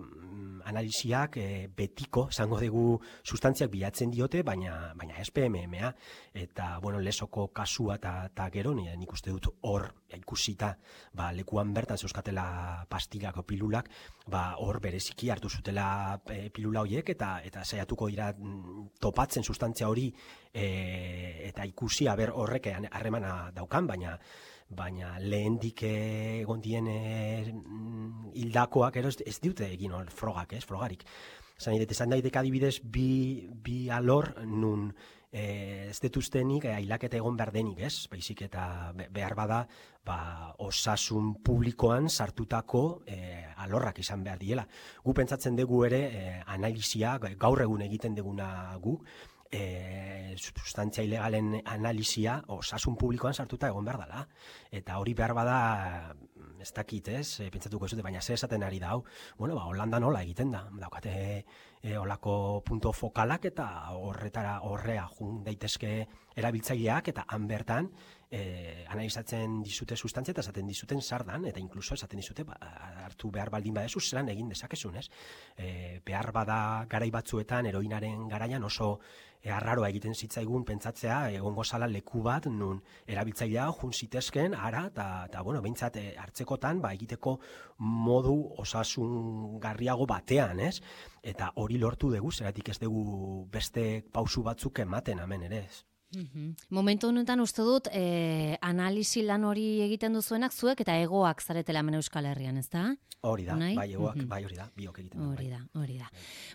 S3: analisiak e, betiko, esango dugu, sustantziak bilatzen diote, baina, baina ez P M M A. Eta, bueno, lesoko kasua eta gero, nik uste dut hor ikusita, ba, lekuan bertan zeuskatela pastillak o pilulak, ba, hor bereziki hartu zutela e, pilula horiek, eta eta saiatuko dira topatzen sustantzia hori e, eta ikusi aber horrek harremana daukan, baina baina lehendik egon dien hildakoak ero ez dute egin hor frogak, ez, frogarik. Zan idete, zan daidek adibidez bi, bi alor nun e, ez detuztenik ailaketa egon behar denik, ez, baizik eta behar bada ba, osasun publikoan sartutako e, alorrak izan behar diela. Gu pentsatzen dugu ere e, analizia, gaur egun egiten duguna gu, E, sustantzia ilegalen analizia osasun publikoan sartuta egon behar dela. Eta hori behar bada, ez dakit, ez, e, pentsatuko ez dute, baina ze esaten ari da hau, bueno, ba, Holanda nola egiten da, daukate e, olako punto fokalak eta horretara horrea jun daitezke erabiltzaileak eta han bertan e, analizatzen dizute sustantzia eta esaten dizuten sardan, eta inkluso esaten dizute ba, hartu behar baldin badezu zelan egin dezakezun, ez? E, behar bada garai batzuetan heroinaren garaian oso e, arraroa egiten zitzaigun pentsatzea egongo zala leku bat nun erabiltzailea jun zitezken ara eta bueno, behintzat e, hartzekotan ba, egiteko modu osasungarriago batean, ez? Eta hori lortu dugu, zeratik ez dugu beste pausu batzuk ematen hemen ere, ez?
S1: Mm-hmm. Momentu honetan uste dut eh, analisi lan hori egiten duzuenak zuek eta egoak zaretela hemen Euskal Herrian, ez da?
S3: Hori da,
S1: Unai?
S3: bai egoak,
S1: Mm-hmm.
S3: bai hori da, biok egiten da.
S1: Hori
S3: bai.
S1: da, hori da.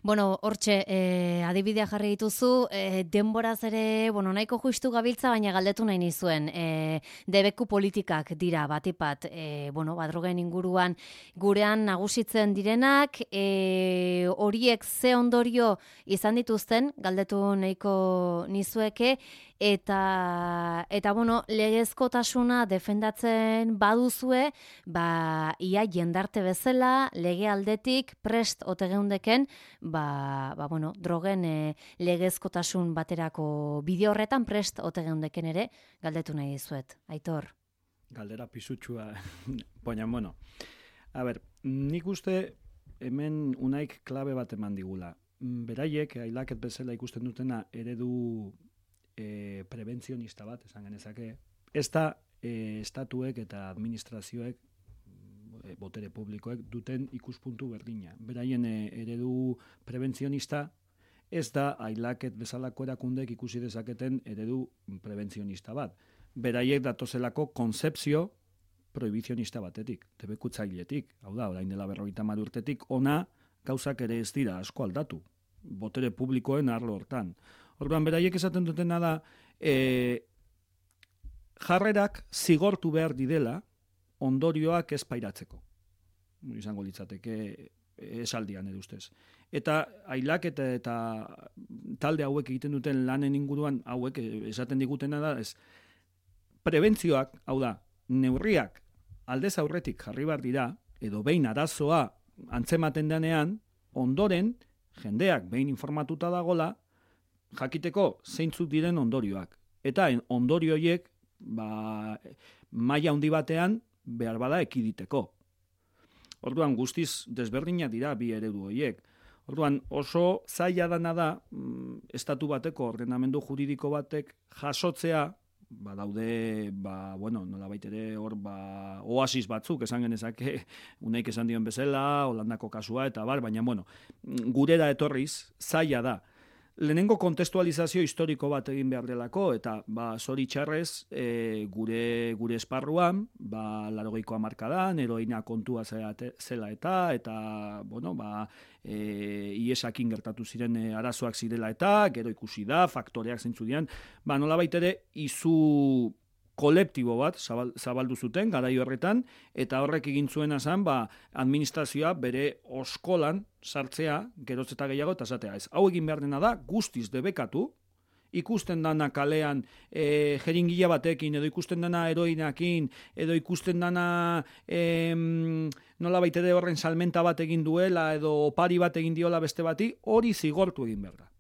S1: Bueno, hortxe, eh, adibidea jarri dituzu, eh, denboraz ere, bueno, nahiko justu gabiltza, baina galdetu nahi nizuen, eh, debeku politikak dira, batipat, eh, bueno, badrogen inguruan gurean nagusitzen direnak, eh, horiek ze ondorio izan dituzten, galdetu nahiko nizueke, eta eta bueno, legezkotasuna defendatzen baduzue, ba ia jendarte bezala lege aldetik prest ote geundeken, ba, ba bueno, drogen e, legezkotasun baterako bide horretan prest ote geundeken ere galdetu nahi dizuet. Aitor.
S2: Galdera pisutsua, baina bueno. A ber, nik uste hemen Unaik klabe bat eman digula. Beraiek ailaket bezala ikusten dutena eredu E, prebentzionista bat, esan genezake, ez da e, estatuek eta administrazioek, e, botere publikoek, duten ikuspuntu berdina. Beraien e, eredu prebentzionista ez da ailaket bezalako erakundek ikusi dezaketen eredu prebentzionista bat. Beraiek datozelako konzepzio prohibizionista batetik, debekutzailetik. Hau da, orain dela berrogeita hamar urtetik, ona gauzak ere ez dira asko aldatu, botere publikoen arlo hortan. Orduan, beraiek esaten dutena da, e, jarrerak zigortu behar didela ondorioak ez pairatzeko. Izango litzateke esaldian edo ustez. Eta ailak eta, eta talde hauek egiten duten lanen inguruan hauek esaten digutena da, ez, prebentzioak, hau da, neurriak aldez aurretik jarri behar dira, edo behin arazoa antzematen denean, ondoren, jendeak behin informatuta dagola, jakiteko zeintzuk diren ondorioak. Eta ondorio horiek, ba, maila handi batean, behar bada ekiditeko. Orduan, guztiz desberdina dira bi eredu horiek. Orduan, oso zaila dana da, estatu bateko ordenamendu juridiko batek jasotzea, ba daude, ba, bueno, nola baitere hor, ba, oasis batzuk, esan genezake, uneik esan dion bezala, Holandako kasua, eta bar, baina, bueno, gurera etorriz, zaila da. Lehenengo kontestualizazio historiko bat egin behar delako, eta, ba, zoritxarrez, e, gure, gure esparruan, ba, larogeiko hamarkadan, heroina kontua zela, zela eta, eta, bueno, ba, e, iesakin gertatu ziren e, arazoak zirela eta, gero ikusi da, faktoreak zeintzu dian, ba, nola baitere, izu kolektibo bat zabal, zabaldu zuten, garai horretan, eta horrek egin zuena zen, ba, administrazioa bere oskolan sartzea, geroz eta gehiago, eta esatea ez. Hau egin behar dena da, guztiz debekatu, ikusten dana kalean e, jeringila batekin, edo ikusten dana heroinakin, edo ikusten dana e, nola baitere horren salmenta bat egin duela, edo opari bat egin diola beste bati, hori zigortu egin behar da.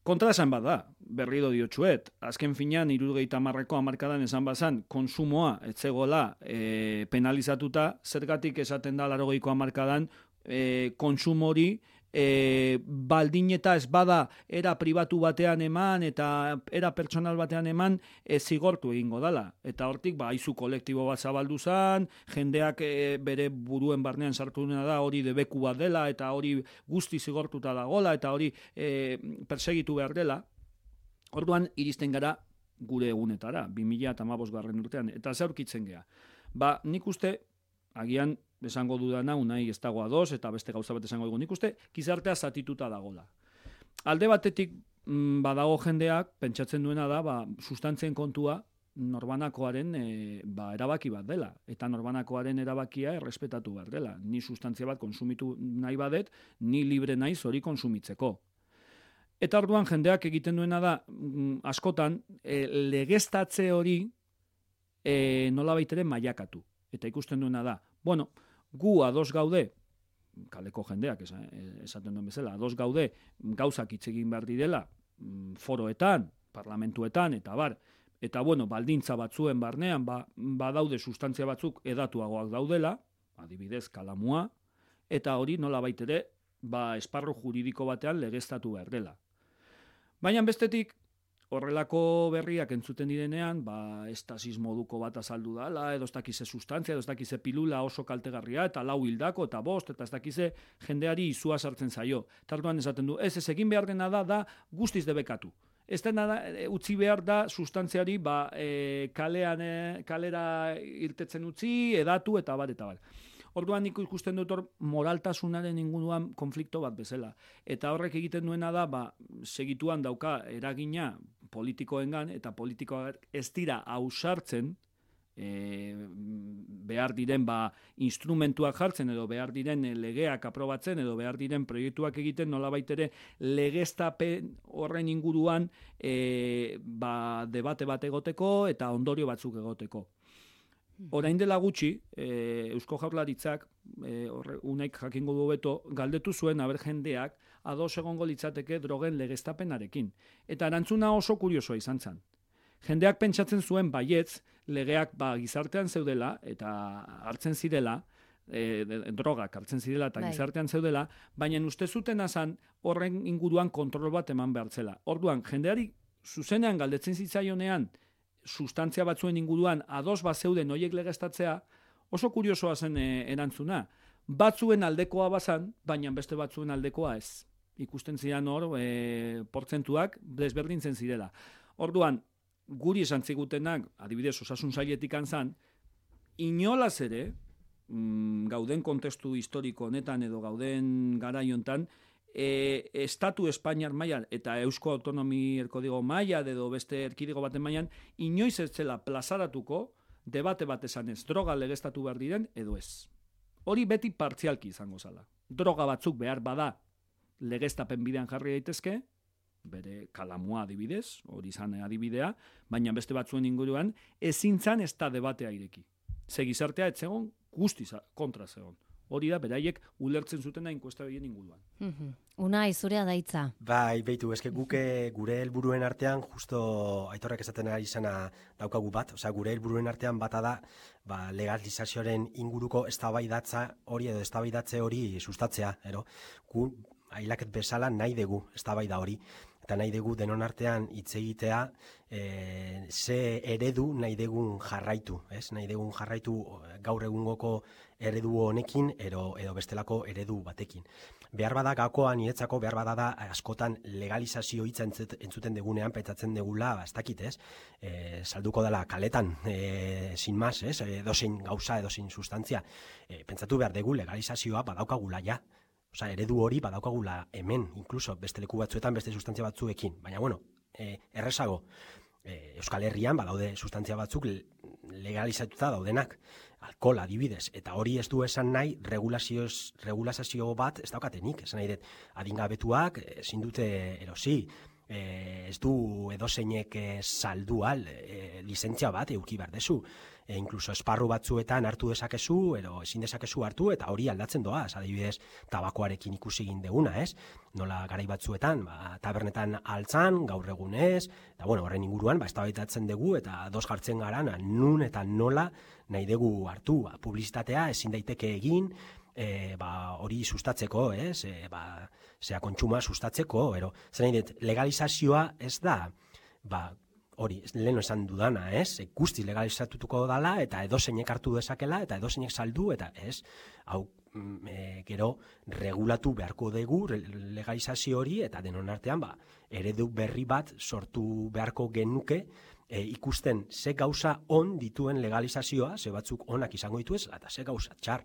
S2: Kontra esan bat da, berrido diotxuet, azken finean hirurogeita hamarreko hamarkadan esan bazan, konsumoa etzegola e, penalizatuta, zergatik esaten da laurogeiko hamarkadan e, konsumori e, baldin eta ez bada era pribatu batean eman eta era pertsonal batean eman e, zigortu egingo dala. Eta hortik, ba, aizu kolektibo bat zabaldu zan, jendeak e, bere buruen barnean sartu dena da hori debeku bat dela, eta hori guzti zigortuta dagola, eta hori e, persegitu behar dela. Orduan, iristen gara gure egunetara, bi mila hamabost garren urtean, eta zaurkitzen gea. Ba, nik uste, agian, esango dudana, unai ez dago ados, eta beste gauza bat esango dugu, nik uste, gizartea zatituta dagola. Alde batetik, mm, badago jendeak, pentsatzen duena da, ba, sustantzien kontua, norbanakoaren e, ba, erabaki bat dela, eta norbanakoaren erabakia errespetatu behar dela. Ni sustantzia bat konsumitu nahi badet, ni libre naiz hori konsumitzeko. Eta orduan jendeak egiten duena da, mm, askotan, e, legestatze hori e, nola baitere mailakatu. Eta ikusten duena da, bueno, gu ados gaude, kaleko jendeak esaten duen bezala, ados gaude gauzak hitz egin behar direla, foroetan, parlamentuetan, eta bar, eta bueno, baldintza batzuen barnean, ba, badaude sustantzia batzuk edatuagoak daudela, adibidez kalamua, eta hori nola baitere, ba, esparru juridiko batean legeztatu behar dela. Baina bestetik, horrelako berriak entzuten direnean, ba, estasis moduko bat azaldu dala, edo ez dakize sustantzia, edo ez dakize pilula oso kaltegarria, eta lau hildako, eta bost, eta ez dakize jendeari izua sartzen zaio. Tartuan esaten du, ez ez egin behar dena da, da guztiz debekatu. Ez dena da, utzi behar da sustantziari, ba, e, kalean, e, kalera irtetzen utzi, edatu, eta bat, eta bat. Orduan nik ikusten dut hor moraltasunaren inguruan konflikto bat bezala. Eta horrek egiten duena da, ba, segituan dauka eragina politikoengan, eta politikoak ez dira ausartzen, e, behar diren ba, instrumentuak jartzen, edo behar diren legeak aprobatzen, edo behar diren proiektuak egiten, nolabait ere legeztapen horren inguruan e, ba, debate bat egoteko, eta ondorio batzuk egoteko. Orain dela gutxi, e, Eusko Jaurlaritzak, e, horre, unaik jakingo du beto, galdetu zuen aber jendeak ados egongo litzateke drogen legeztapenarekin. Eta erantzuna oso kuriosoa izan zen. Jendeak pentsatzen zuen baietz, legeak ba, gizartean zeudela, eta hartzen zirela, e, drogak hartzen zirela eta bai. Gizartean zeudela, baina uste zuten azan horren inguruan kontrol bat eman behartzela. Orduan, jendeari zuzenean galdetzen zitzaionean, sustantzia batzuen inguruan ados bat zeuden horiek legeztatzea, oso kuriosoa zen e, erantzuna. Batzuen aldekoa bazan, baina beste batzuen aldekoa ez. Ikusten ziren hor, e, portzentuak desberdintzen zirela. Orduan, guri esan zigutenak, adibidez, osasun sailetik antzan, inolaz ere, mm, gauden kontestu historiko honetan edo gauden garaiontan, e, Estatu Espainiar mailan eta Eusko Autonomi Erkidego mailan edo beste erkidego baten mailan, inoiz ez zela plazaratuko debate bat esanez, droga legeztatu behar diren edo ez. Hori beti partzialki izango zala. Droga batzuk behar bada legeztapen bidean jarri daitezke, bere kalamua adibidez, hori izan adibidea, baina beste batzuen inguruan, ezin zan ez da debatea ireki. Ze gizartea ez zegon, guztiz kontra zegon. Hori da, beraiek ulertzen zutena inkuesta behien inguruan.
S1: Mm-hmm. Unai, zurea daitza.
S3: Bai, beitu, eske guke gure helburuen artean, justo Aitorrek esaten ari izana daukagu bat, osea, gure helburuen artean bata da, ba, legalizazioaren inguruko eztabaidatza hori edo eztabaidatze hori sustatzea, ero? Gu, ailaket bezala nahi dugu eztabaida hori. Eta nahi dugu denon artean hitz egitea, e, ze eredu nahi dugun jarraitu, ez? Nahi dugun jarraitu gaur egungoko eredu honekin edo, edo bestelako eredu batekin. Behar bada gakoa niretzako, behar bada da askotan legalizazio hitza entzuten degunean, pentsatzen degula, ba, ez dakit, ez? E, salduko dela kaletan, e, sin mas, ez? Edozein gauza, edozein sustantzia. E, pentsatu behar dugu legalizazioa badaukagula ja. Osa, eredu hori badaukagula hemen, inkluso beste leku batzuetan, beste sustantzia batzuekin. Baina, bueno, e, errezago, e, Euskal Herrian badaude sustantzia batzuk legalizatuta daudenak, alkohol adibidez, eta hori ez du esan nahi regulazio bat ez daukatenik, esan nahi dut, adingabetuak ezin dute erosi, e, ez du edozeinek e, saldu al, e, lizentzia bat euki behar dezu, e, inkluso esparru batzuetan hartu dezakezu, edo ezin dezakezu hartu, eta hori aldatzen doa, adibidez, tabakoarekin ikusi egin deguna, ez? Nola garai batzuetan, ba, tabernetan altzan, gaur egunez, eta bueno, horren inguruan, ba, eztabaidatzen dugu, eta dos jartzen gara, nun eta nola nahi dugu hartu, ba, publizitatea ezin daiteke egin, E, ba, hori sustatzeko, ez? E, ba, zera kontsuma sustatzeko, ero, zer nahi dut, legalizazioa ez da, ba, hori, leheno esan dudana, ez? E, guztiz legalizatutuko dala, eta edozeinek hartu dezakela, eta edozeinek saldu, eta ez, hau, e, gero, regulatu beharko dugu legalizazio hori, eta denon artean, ba, eredu berri bat sortu beharko genuke, E, ikusten ze gauza on dituen legalizazioa, ze batzuk onak izango ditu ez, eta ze gauza txar.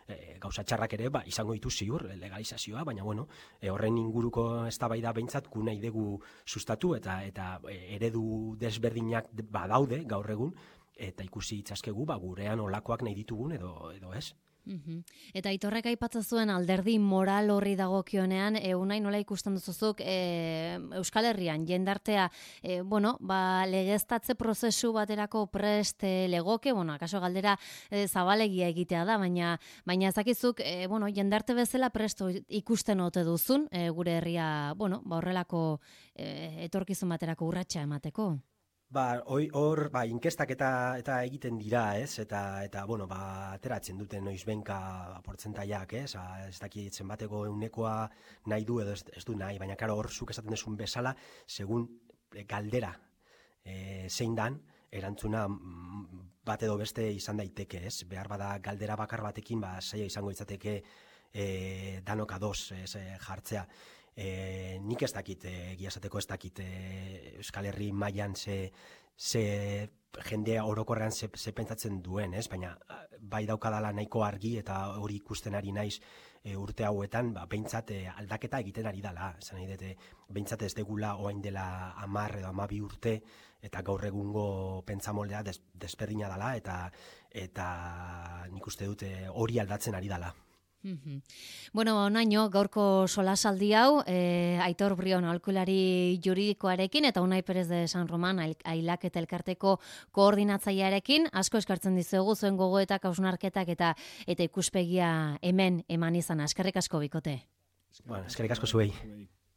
S3: E, gauza txarrak ere ba, izango ditu ziur legalizazioa, baina bueno, e, horren inguruko eztabaida behintzat gu nahi dugu sustatu eta eta eredu desberdinak badaude gaur egun, eta ikusi itzazkegu ba, gurean olakoak nahi ditugun edo, edo ez.
S1: Uhum. Eta Aitorrek aipatzen zuen alderdi moral horri dagokionean, e, unai nola ikusten duzuzuk e, Euskal Herrian jendartea, e, bueno, ba, legeztatze prozesu baterako prest e, legoke, bueno, akaso galdera e, zabalegia egitea da, baina baina ezakizuk, e, bueno, jendarte bezala presto ikusten ote duzun, e, gure herria, bueno, ba, horrelako e, etorkizun baterako urratsa emateko.
S3: Ba, hor, ba, inkestak eta eta egiten dira, ez? Eta eta bueno, ba, ateratzen duten noizbenka ba, portzentaiak, ez? A, ez dakitzen bateko eunekoa nahi du edo ez, ez du nahi, baina karo hor zuk esaten duzun bezala, segun galdera e, zein dan, erantzuna bat edo beste izan daiteke, ez? Behar bada galdera bakar batekin, ba, zaila izango izateke e, danok ados, ez, jartzea. E, nik ez dakit, e, giazateko ez dakit e, Euskal Herri mailan ze, ze jendea orokorrean ze, ze pentsatzen duen, ez? Baina bai daukadala nahiko argi eta hori ikusten ari naiz e, urte hauetan, ba, behintzat e, aldaketa egiten ari dala. Esan nahi dute, behintzat ez degula orain dela hamar edo hamabi urte eta gaur egungo pentsamoldea des, desberdina dala eta, eta nik uste dute hori aldatzen ari dala.
S1: Mm-hmm. Bueno, onaino, gaurko solasaldi hau, e, Aitor Brion aholkulari juridikoarekin eta Unai Perez de San Roman Ailak eta Elkarteko koordinatzailearekin, asko eskartzen dizuegu zuen gogoetak, hausnarketak eta eta ikuspegia hemen eman izan. Eskerrik asko bikote.
S3: Bueno, eskerrik asko zuei.